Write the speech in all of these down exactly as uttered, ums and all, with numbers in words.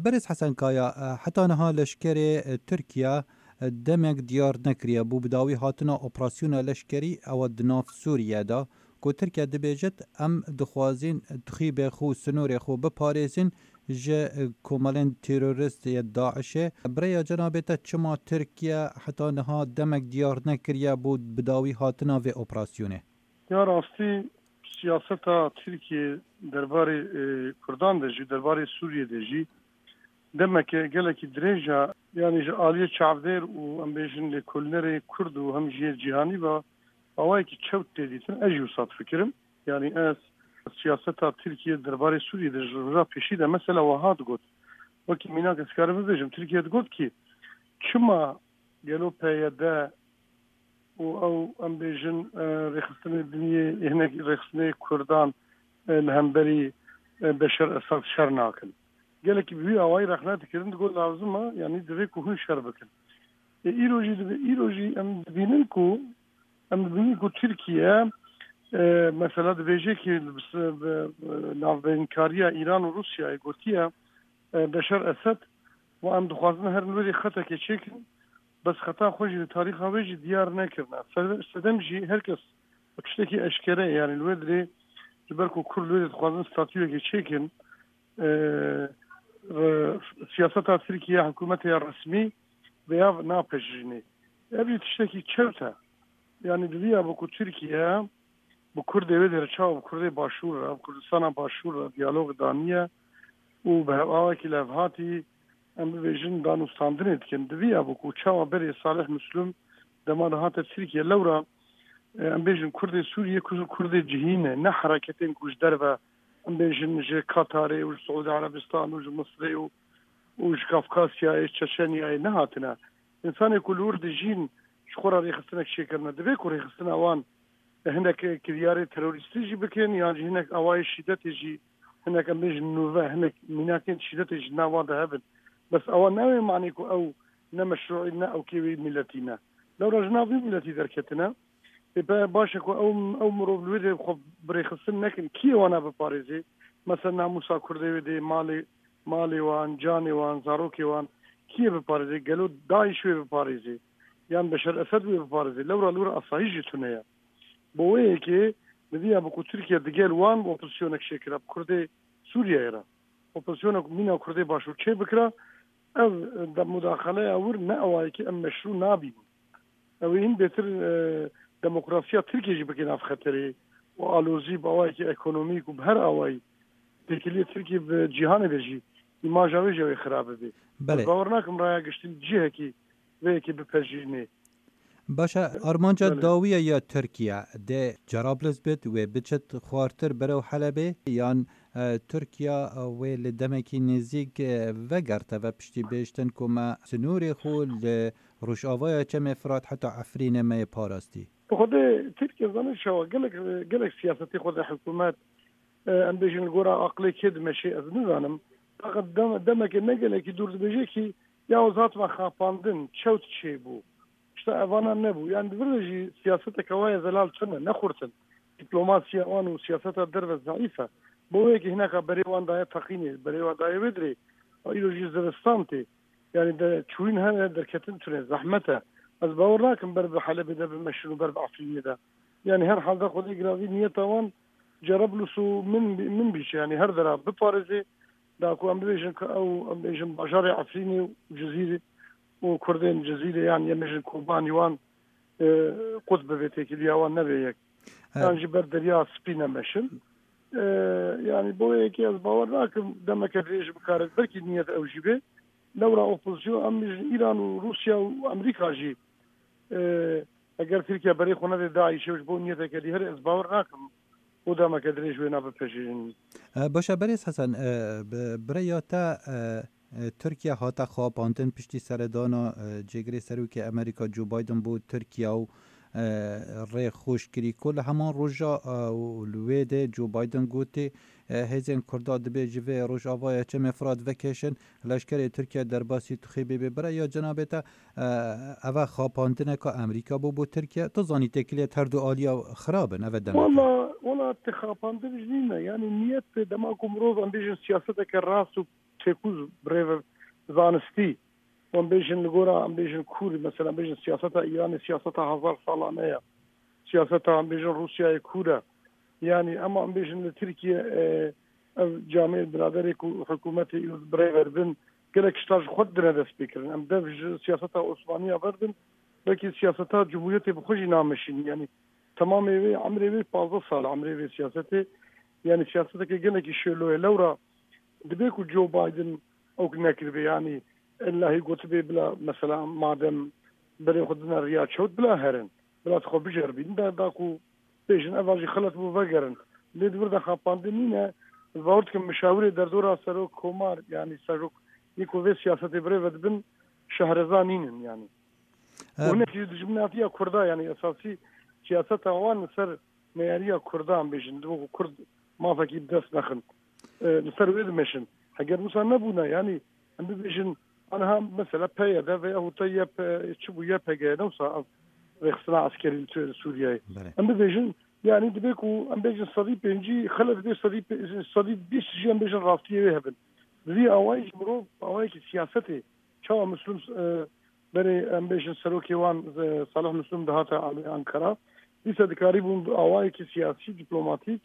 Berêz Hesen Kaya, e, heta niha leşkerê, e, Tirkiye, e, demek diyar nekiriye bû bi dawî hatina operasyona leşkerî ewa di nav Sûriye de, ku Tirkiye dibêjit, em dixwazin tixîbê xwe û sinorê xwe biparêzin ji, e, komelên terorist yê DAIŞê. Bi rêya cenabê te çima Tirkiye heta niha demek diyar nekiriye bû bi dawî hatina vê operasyonê? Ya rastî siyaseta Tirkiye derbarê, e, Kurdan de jî, derbarê Sûriyê de jî demeke gelekî dirêj e. Yanî ji aliyê çavdêr û em bêjin lêkolînerê Kurd û hem jî yê cîhanî ve awayekî çewt tê dîtin. Ez jî wisa difikirim. Yanî ez siyaseta Tirkiye derbarê Sûriyê de ji roja pêşî de mesela wiha digot. Wekî mînak ez karim bibêjim, Tirkiye digot ki çima gelo P Y D û ew, em bêjin, e, rêxistinê din yê, hinek rêxistinê Kurdan, e, li hemberî, e, Beşar Esad şer nakin. Gelekî bi wî awayî rexne dikirin, digot lazim e, yanî divê ku hûn şer bikin. E, îro jî dibe-, îro jî em dibînin ku, em dibînin ku Tirkiye, e, mesela dibêje ki bi, bi, bi navbeynkariya Îran û Rûsyayê gotiye, e, Beşar Esed, û em dixwazin herin wê xetekê çêkin, bes xeta xwe jî li tarîxa wê jî diyar nekirine. Sede-, sedem jî her kes tiştekî eşkere, yanî li wê dirê, ji ber ku Kurd li wê dixwazin statuyekê çêkin, e, re-, siyaseta Tirkiye, hikûmetê ya resmî vêya napejirînê. Ev jî tiştekî çewt e. Yanî divîya bû ku Tirkiye bi Kurdê wê dêre çawa bi Kurdê Başûr re, bi Kurdistana Başûr re diyalog daniye û bi hev-, awakî levhatî, em bibêjin, danûstandinê dikin. Divîya bû ku çawa berê Salih Müslüm dema de hate Tirkiye lewra, e, em bêjin Kurdê Sûriye, Kur-, Kurdê cihî ne, ne hereketên ku ji derve, em bêjin, ji Katarê û ji Siûdî Erebistan û ji Misrê û, û ji Kafkasyayê, Çeçenyayê nehatine. Însanê ku li wir dijîn ji xwe re rêxistinek çêkirine, divê ku rêxistina wan hinek kiryarê terorîstî jî bikin, yan jî hinek awayê şîdetê jî, hinek em bêjin nûve, hinek mînakên şîdetê jî nav wan de hebin. Bes ewa ne wê manê ku ew ne meşrûî ne ew kê wê miletî ne. Lewra ji nav vî miletî derketine. Ê pe baş e ku ew, ew mirov li wê dê xwe birêxistin nekin. Kî wana biparêzê? Mesela namûsa Kurdê wê dê malê, malê wan, canê wan, zarokê wan kî yê biparêzê? Gelo DAIŞ wê biparêzê? Yan Beşar Esed wê biparêzê? Lewra li wir asayîş jî tune ye. Bo wê yekê, divîya bi ku Tirkiye digel wan opozisyonek çêkira, bi Kurdê Sûriyeyê re. Opozisyonek mîna Kurdê Başûr çê bikira, ev de mudaxeleya wir ne ewayekî em meşrû nabînin. Ew ê hîn bêtir, e, demokrasiya Tirkiye jî bike nav xeterê û alozî bi awayekî ekonomîk û bi her awayî têkiliyê Tirkiye bi cîhanê de jî îmaja wê jî ew ê xirab bibe. Belê. Ez bawer nakim raya giştî cihekî vê yekê bipejirînê. Baş e, armanca Belê. dawiya ya Tirkiye dê Cerablus bit, wê biçit xwartir berew Helebê, yan, e, Tirkiye, e, wê li demekî nêzîk, e, vegerte ve piştî bêştin ku me sinûrê xwe li Rojavaya Çemê Firat heta Efrînê me yê parastî? Bi xwedê Tirkiye zanin çawa gelek, gelek siyasetê xwe de hikûmet, e, em bêjin li gora aqilê kê dimeşê ez nizanim. Fakat dem-, demeke ne gelekî dûr dibêje ki ya ez hatime xapandin, çewt çêbû. İşte evana nebû. Yani di vir de jî siyaseteke wa ye zelal tune, ne xurt in. Diplomasiya wan û siyaseta derve zeîf e. Bo wê yekê hineka berê wan daye teqînê, berê wan daye wê dirê. A îro jî zivistan tê. Yani de çûyîn hene, derketin tune, zehmet e. Ez bawer nakim ber bi Helebê de bimeşin û ber bi Efrînê de. Yani her halde Xwedê giravî niyeta wan Cerablus û min, min bîçe. Yani her dera biparêzê, da ku em bibêjin ku ew, em bêjin bajarê Efrînê û Cizîrê û Kurdên Cizîrê, yan em bêjin Kobanî wan, e, qut bibe, têkiliya wan nebe yek. E, Yan jî ber Derya Spî nemeşin. E, yani bo yekê ez bawer nakim demeke dirêj bikare, belkî niyet ew jî be. Lewra opozisyon, em bêjin Îran û Rûsya û Amerîka jî, e, eger Tirkiye berê xwe nede DAIŞê ji bo niyeteke dî here, ez bawer nakim û demeke dirêj wê nabe pejirîn. E, baş e, Berêz Hesen, e, bi, bi rêya te, e, e, Tirkiye hate xapandin piştî seredana, e, cêgirê serokê Amerîka Joe Biden bo Tirkiye û, e, rê xweş kirî ku li heman roja, e, û li wê de Joe Biden gotê, e, hêzên Kurda dibê ji vê Rojavaya Çemê Firat vekêşin, leşkerê Tirkiye derbasî Tuxê bê bê. Bi rêya cenabê te, e, eve xapandineka Amerîka bû bo Tirkiye? Tu zanî têkiliyet her du aliya xirab in, eve demek e. Wala, wala ti xapandin jî nîne. Yani niyet dema ku mirov, em bêjin, siyaseteke rast û têkûz bi rê ve zanistî. Em bêjin li gora, em bêjin kûr, mesela em bêjin siyaseta Îranê siyaseta hezar salane ye. Siyaseta em bêjin Rûsyayê kûr e. Yanî ema em bêjin li Tirkiye, e, ev camiyê biraderê ku hikûmetê bi rê ve dibin, gelek ji ta ji xwe didine destpêkirin. Em dev ji siyaseta Osmaniya berdin, belkî siyaseta Cumhuriyetê bi xwe jî nameşînin. Yanî temamê wê, emrê wê pazdeh sal e, emrê wê siyasetê. Yanî siyaseteke gelekî şêlo ye. Lewra dibe ku Joe Biden ew nekiribe, yanî illahî gotibe bila, mesela madem berê xwe dine riya çewt, bila herin, bila xwe biceribînin, da, da ku bêjin eva jî xelet bû, vegerin. Lê di vir de xapandin nîne, ez bawer dikim mişawirê derdora serok komar, yanî serok yê ku vê siyasetê bi rê ve dibin, şehreza nînin yanî. E, Û hinek jî dijminatiya Kurda, yanî esasî siyaseta wan li ser neyariya Kurdan bêjin, wekî Kurd mafekî bi dest nexin. E, li ser wê dimeşin. Heger wisa nebûna, yanî em bibêjin, aniha mesela P Y D veya hûta Y P, çi bû, Y P G, ne wisa ev rêxistina eskerî li Sûriyeyê. Belê. Em bibêjin, yanî dibe ku em bêjin sedî pêncî xelet bê, sedî pê-, sedî bîst jî em bêjin rastiyê wê hebin. Bi vî awayî jî mirov awayekî siyasetê, çawa Müslüm, e, berê em bêjin serokê wan, e, Salih Müslüm dihate Ankara, dîsa dikarîbûn bi awayekî siyasî, dîplomatîk,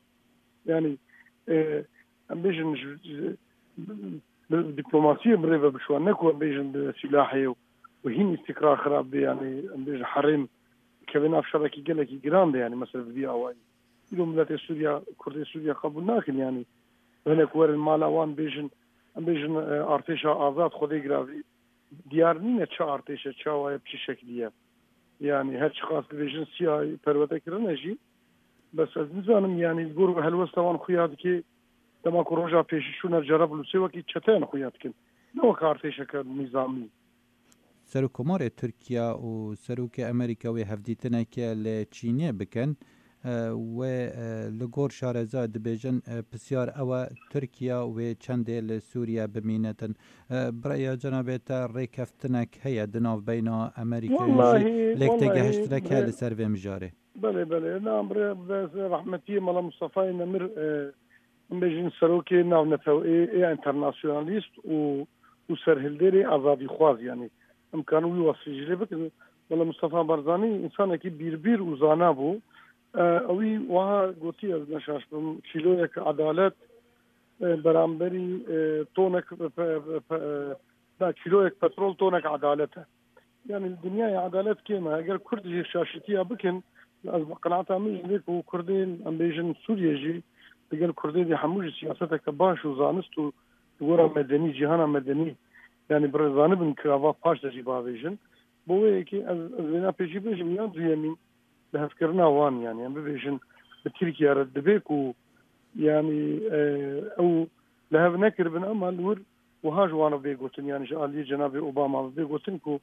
yanî, e, em bêjin ji, ji, bi dîplomasiyê bi rê ve biçû, ne ku em bêjin bi sîlahê û, û hîn îstîkrar xirab bê, yanî em bêjin herêm keve nav şerekî gelekî giran de, yanî mesela bi vî awayî. Îro miletê Sûriya, Kurdê Sûriya qebûl nakin, yanî hinek werin mala wan bêjin, em bêjin, e, artêşa azad Xwedê giravî. Diyar nîne çi artêş e, çawa ye, bi çi şeklî ye. Yanî her çiqas dibêjin siyayî perwerde kirine jî, bes ez nizanim, yanî li gor helwesta wan xuya dike, dema ku roja pêşî çûne Cerablusê wekî çeteyan xuya dikin. Ne wek artêşeke nîzamî. Serokkomarê Tirkiye û Serokê Amerîka wê hevdîtineke li Çînê bikin. E, wê, e, li gor şareza dibêjin, e, pisyar ew e, Tirkiye wê çendê li Sûriye bimînetin. E, bi raya cenabê te rêkeftinek heye di navbeyna Amerîkayê jî Wallahî, lêk wallahî, têgehiştinek heye bre-, li ser vê mijarê? Belê, belê. Na, bre-, be-, rehmetiyê Mela Mustafayê Nemir, e, em bêjin serokê navneteweyê, ê enternasyonalîst û, û serhilderê azadîxwaz, yanî em karin wî wasfê jî lê bikin. Mela Mustafa Barzanî însanekî bîrbîr û zana bû. E, ewî wiha gotî, ez neşaş bim, kîloyek edalet, e, beramberî, e, tonek pe-, pe-, pe-, e, da kîloyek petrol tonek edalet e. Yanî li dinyayê edalet kêm e. Eger Kurd jî şaşîtiya bikin, ez bi qenaeta min jî lê ku Kurdên, em bêjin Sûriye jî, digel Kurdê dî hemû jî siyaseteke baş û zanist û li gora medenî, cîhana medenî, yanî bi rê zanibin kirava paş de jî bavêjin. Bo wê yekê ez, ez vêna pêşî bêjim, ya duyemîn, lihevkirina wan, yanî em bibêjin bi Tirkiye re dibe ku, yanî, e, ew lihev nekiribin, ama li wir wiha ji wan re bê gotin, yanî ji aliyê cenabê Obama bê gotin ku,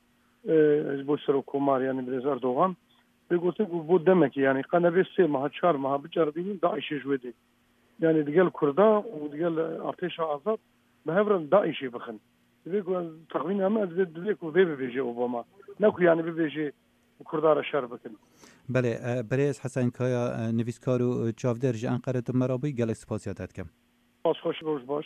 e, ji bo serokkomar, yanî birêz Erdogan, bê gotin ku bo demekê, yanî qe nebê sê meha, çar meha biceribînin, DAIŞê ji wê dê. Yanî digel Kurda û digel artêşa azad bi hev re li DAIŞê bixin. Divê ku ez texmîna min, ez divê, divê ku vê bibêje Obama. Ne ku yanî bibêje Kurda re şer bikin. Belê, e, birêz Hesen Kaya, e, nivîskar û, e, çavdêr ji Enqere tu me re bûyî, gelek spasiya te dikim. Spas xweş, roj baş.